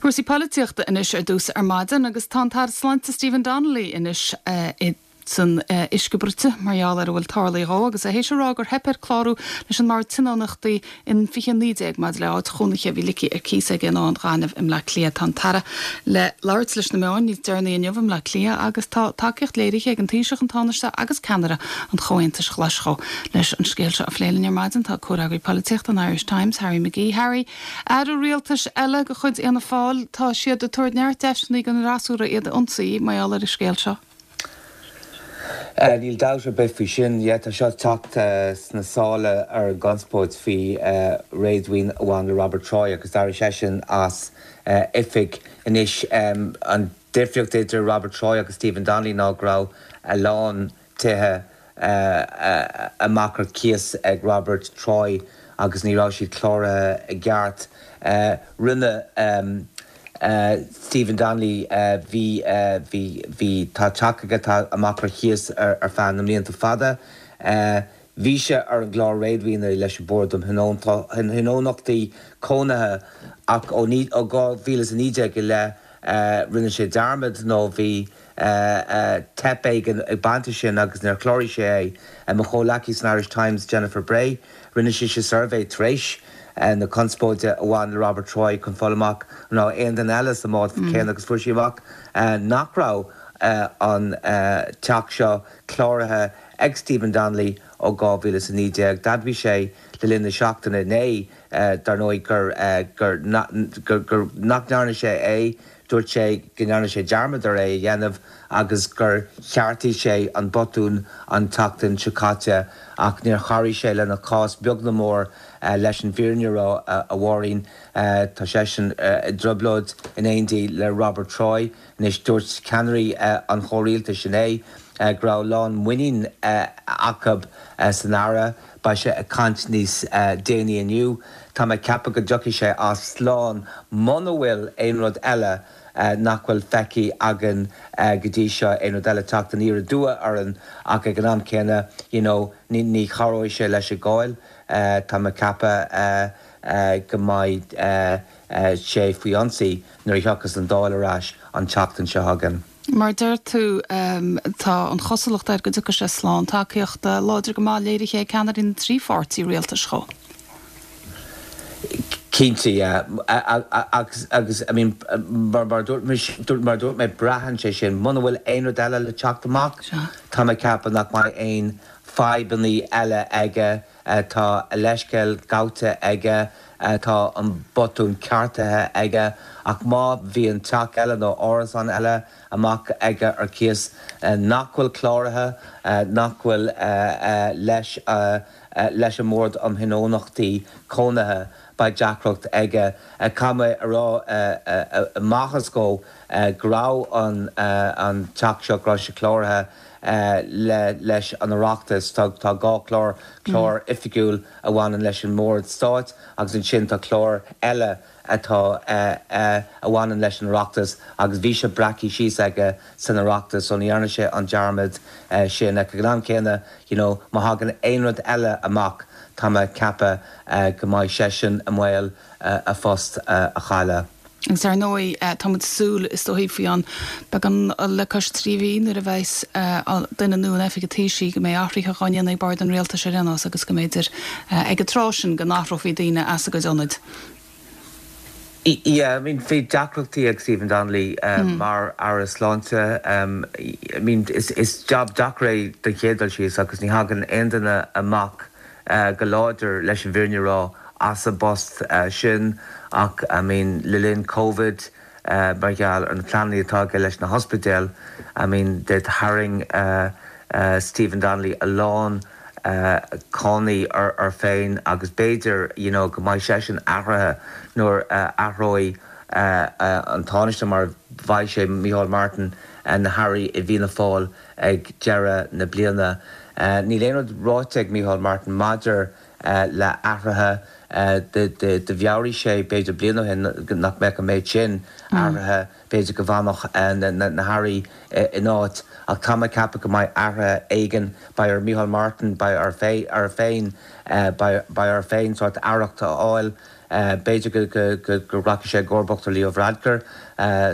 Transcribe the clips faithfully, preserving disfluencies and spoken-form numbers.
Cúrsaí polaitíochta anois ar dtús ar maidin agus tá an tAire Sláinte Stephen Donnelly anois uh, san uh, uisce bruite mar gheall ar a bhfuil tarlaithe dhó agus é théis a rá gur theip air clárú leis an mBord Tionóntachtaí in fiche naoi déag maidir le áit chónaithe a bhí ligthe ar cíos aige in Áth an Ghainimh i mBleá Cliath tá an tAire le labhairt leis na meáin níos deireanaí inniu i mBleá Cliath agus tá tacaíocht léirithe ag an Taoiseach an Tánaiste agus ceannaire an Chomhaontais Ghlais dhó leis an scéal seo a phlé linn ar maidin tá comhfhreagraí polaitíochta an Irish Times Harry McGee Harry Aire rialtais eile de chuid Fhianna Fáil tá siad ag tabhairt neart deiseanna don fhreasúra iad a ionsaí mar gheall ar an scéal seo. Uh, níl dabht ar bith faoi sin yeah, tá seo teacht uh, sna sála ar an gconspóid faoi uh, réadmhaoin a bhain le Robert Troy agus d'éirigh seisean as uh, oifig anois um, an difríocht idir Robert Troy agus Stephen Donnelly ná go raibh a lán tithe uh, uh, amach ar cíos ag Robert Troy agus ní raibh siad cláraithe i gceart. Uh, rinne um, Uh, Stephen Donnelly bhí uh, bhí bhí tá teach aige tá amach ar cíos ar, ar feadh na mblianta fada. Uh, Bhí sé ar an gclár réadmhaoine leis an Bord um Thionóntachtaí Cónaithe ach ó ó dhá mhíle a naoi déag le rinne sé dearmad nó bhí teip ag ag baint sin agus níor chláraigh sé é mo chomhghleacaí san Irish Times Jennifer Bray, rinne sí sé suirbhé tar éis. na conspóide a bhain le Robert Troy chun fáil amach ná aon duine eile sa mbád mm. céanna agus fuair sí amach nach raibh an teach seo cláraithe ag Stephen Donnelly ó dhá mhíle a naoi déag. D'admhaigh sé le linn na seachtaine inné dar ndóigh gur gur gur nach ndearna sé é, dúirt sé go ndearna sé dearmad ar é a dhéanamh agus gur cheartaigh sé an botún an tseachtain seo caite ach níor chabhraigh sé lena chás beag ná mór leis an bhfírinne a rá a Mháirín tá seisean i dtrioblóid in éindí le Robert Troy anois dúirt ceannairí an chomhrialtais inné go raibh lán muinín acu san Aire beidh sé ag caint níos déanaí inniu. Tá mé ag ceapadh go dtiocfaidh sé as slán muna bhfuil aon rud eile nach bhfuil feicthe againn go dtí seo aon rud eile teacht aniar aduaidh orainn ach ag an am céanna you know, ní, ní chabhróidh sé leis an gcáil tá mé ag ceapadh go mbeidh sé faoi ionsaí nuair a thiocfas an Dáil ar ais an tseachtain seo chugainn. Mar deir tú um, tá an chosúlacht air go dtiocfaidh sé slán tacaíocht láidir go maith léirithe ag ceannairí na trí pháirtí rialtais dhó. Cinnte agus agus I mean mar mar dúirt mar dúirt mé braitheann sé sin muna bhfuil aon rud eile le teacht amach Tá mé ag ceapadh nach mbeidh aon fadhbanna eile aige tá a leithscéal gaibhte aige tá an botún ceartaithe aige ach má bhíonn teach eile nó árasán eile amach aige ar cíos nach bhfuil cláraithe nach bhfuil leis leis an mBord um Thionóntachtaí Cónaithe beidh deacracht aige Caithfidh mé a rá amach go go raibh an an teach seo go raibh sé cláraithe le leis an Oireachtas tá tá dhá chlár clár oifigiúil a bhaineann leis an mBord Stáit agus ansin tá clár eile atá a bhaineann leis an Oireachtas agus bhí sé breactha síos aige san Oireachtas so ní dhearna sé an dearmad sin ag an am céanna you know, má thagann aon rud eile amach tá mé ag ceapadh go mbeidh seisean i mbaol a phost a chailleadh. Agus ar ndóigh tá súil is dóigh faoi an beagán le cois trí mhí nuair a bheas duine nua in oifig an Taoisigh go mbeidh athruithe á ndéanamh ag bord an rialtais ar aon nós agus go mb'fhéidir ag an tráth sin go n-athrófaí daoine as a gcuid ionaid. Yeah, I mean bhí deacrachtaí ag Stephen Donnelly um, mm. mar Aire Sláinte um, I mean is, is job deacair é den chéad dul síos agus ní thagann aon duine amach uh, go láidir leis an bhfírinne a rá as an bpost uh, sin ach I mean le linn COVID uh, mar gheall ar na pleananna atá aige leis na hospidéil I mean de tharraing uh, uh, Stephen Donnelly a lán uh, cáinte ar, ar féin agus b'fhéidir you know, go mbeidh sé sin athraithe nuair uh, athróidh uh, uh, an Tánaiste mar bheidh sé Micheál Martin uh, na hairí i bhFianna Fáil ag deireadh na bliana. Uh, Níl aon rud ráite ag Micheál Martin maidir uh, le athruithe uh, de, de, de mheabhraigh sé b'fhéidir bliain ó shin nach mbeadh an méid sin mm. athruithe b'fhéidir go bhfanfadh uh, na, na, na hairí uh, in áit ach tá mé ag ceapadh go mbeidh athruithe éigin beidh ar Micheál Martin beidh air fé ar féin uh, beidh air féin sórt aireacht a fháil B'fhéidir go rachaidh sé i gcomharbacht ar Leo Varadkar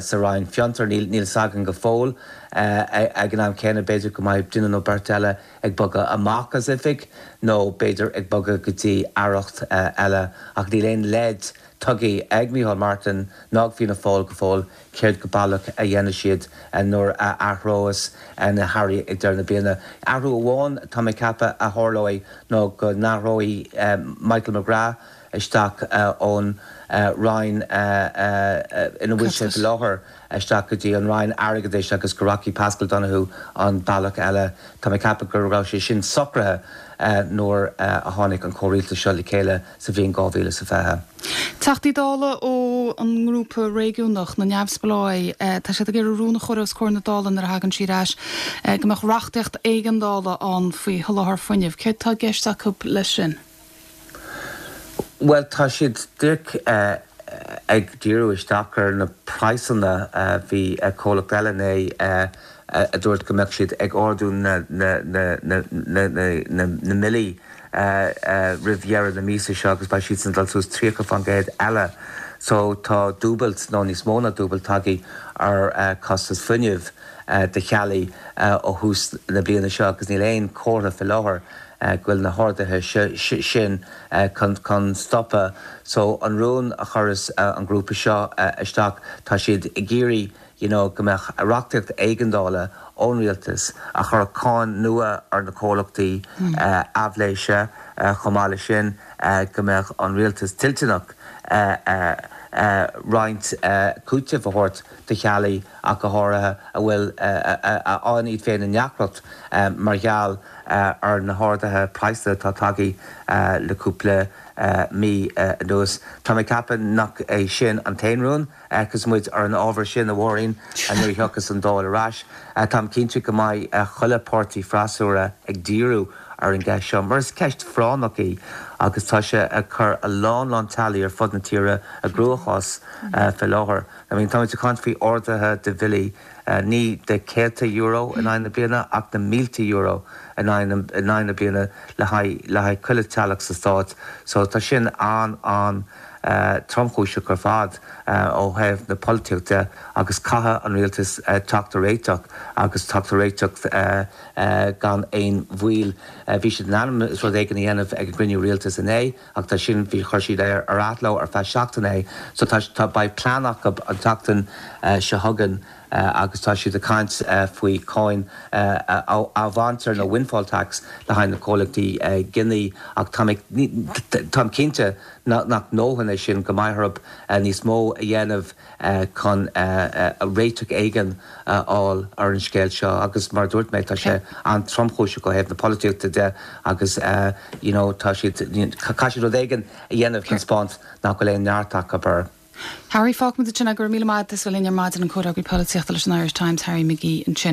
sa Roinn Fiontar, níl a fhios againn go fóill. Ag an am céanna b'fhéidir go mbeidh duine nó beirt eile ag bogadh amach as oifig nó b'fhéidir ag bogadh go dtí aireacht eile ach níl aon leid tugtha ag Micheál Martin ná ag Fianna Fáil go fóill céard go baileach a dhéanfaidh siad nuair a athrós na hairí ag deireadh na bliana. Athrú amháin tá mé ag ceapadh a tharlóidh ná go n-athróidh Michael McGrath isteach ón Roinn ina bhfuil sé faoi láthair isteach go dtí an Roinn Airgeadais agus go rachaidh Paschal Donohoe an bealach eile. Tá mé ag ceapadh go raibh sé sin socraithe nuair a tháinig an comhrialtas seo le chéile sa bhliain dhá mhíle is a fiche. Teachtaí Dála ó an ngrúpa réigiúnach, na Neamhspleáigh, tá siad ag iarraidh rún a chur os comhair na Dála nuair a thagann sí ar ais go mbeadh reachtaíocht éigeandála ann faoi sholáthar fuinnimh. Céard tá i gceist acu leis sin? Bhuel, tá siad díreach ag díriú isteach ar na praghsanna. Bhí comhlacht eile inné a dúirt go mbeadh siad ag ardú na mbillí roimh dheireadh na míosa seo agus beidh siadsan ag dul suas tríocha faoin gcéad eile. So tá dúbailt nó níos mó ná dúbailt tagtha ar chostas fuinnimh do theaghlaigh ó thús na bliana seo agus níl aon chomhartha faoi láthair go bhfuil na harduithe sin chun stopadh. So an rún a chuireas an grúpa seo isteach, tá siad ag iarraidh you know go mbeadh reachtaíocht éigeandála ón rialtas a chuirfeadh cáin nua ar na comhlachtaí aibhléise, chomh maith leis sin go mbeadh an rialtas toilteanach roinnt cúitimh a thabhairt do theaghlaigh ach go háirithe a bhfuil a fhaigheann iad féin i ndeacracht mar gheall ar na harduithe praghsanna atá tagtha le cúpla mí anuas. Tá mé ag ceapadh nach é sin an t-aon rún agus muid ar an ábhar sin, a Mháirín, nuair a thiocfas an Dáil ar ais. Táim cinnte go mbeidh chuile páirtí freasúra ag díriú ar an gceist seo mar is ceist phráinneach í agus tá sé ag cur a lán lán teaghlaigh ar fud na tíre i gcruachás faoi láthair. I mean táimid ag caint faoi arduithe de bhillí ní de céadta euro in aghaidh na bliana ach na mílte euro in aghaidh na bliana le haghaidh le haghaidh chuile teaghlach sa stát. So tá sin an an tromchúiseach ar fad ó thaobh na polaitíochta agus caithfidh an rialtas teacht ar réiteach agus teacht ar réiteach gan aon mhoill. Bhí siad in ainm is rud éigin a dhéanamh ag an gcruinniú rialtais inné ach tá sin, bhí, chuir siad ar ar athló ar feadh seachtaine é so tá tá beidh plean acu an tseachtain seo chugainn agus tá siad ag caint faoi cháin a bhaint ar nó windfall tax le haghaidh na comhlachtaí ginidh ach tá mé táim cinnte nach ndóthain é sin go mbeidh orthu níos mó a dhéanamh chun réiteach éigin a fháil ar an scéal seo agus mar a dúirt mé tá sé an-tromchúiseach ó thaobh na polaitíochta de agus you know tá siad caithfidh siad rud éigin a dhéanamh chun spáint nach bhfuil aon neart acu air. Harry, fágfaimid ansin é, go raibh míle maith agat as a bheith linn ar maidin, an Comhfhreagraí Polaitíochta leis an Irish Times, Harry McGee ansin.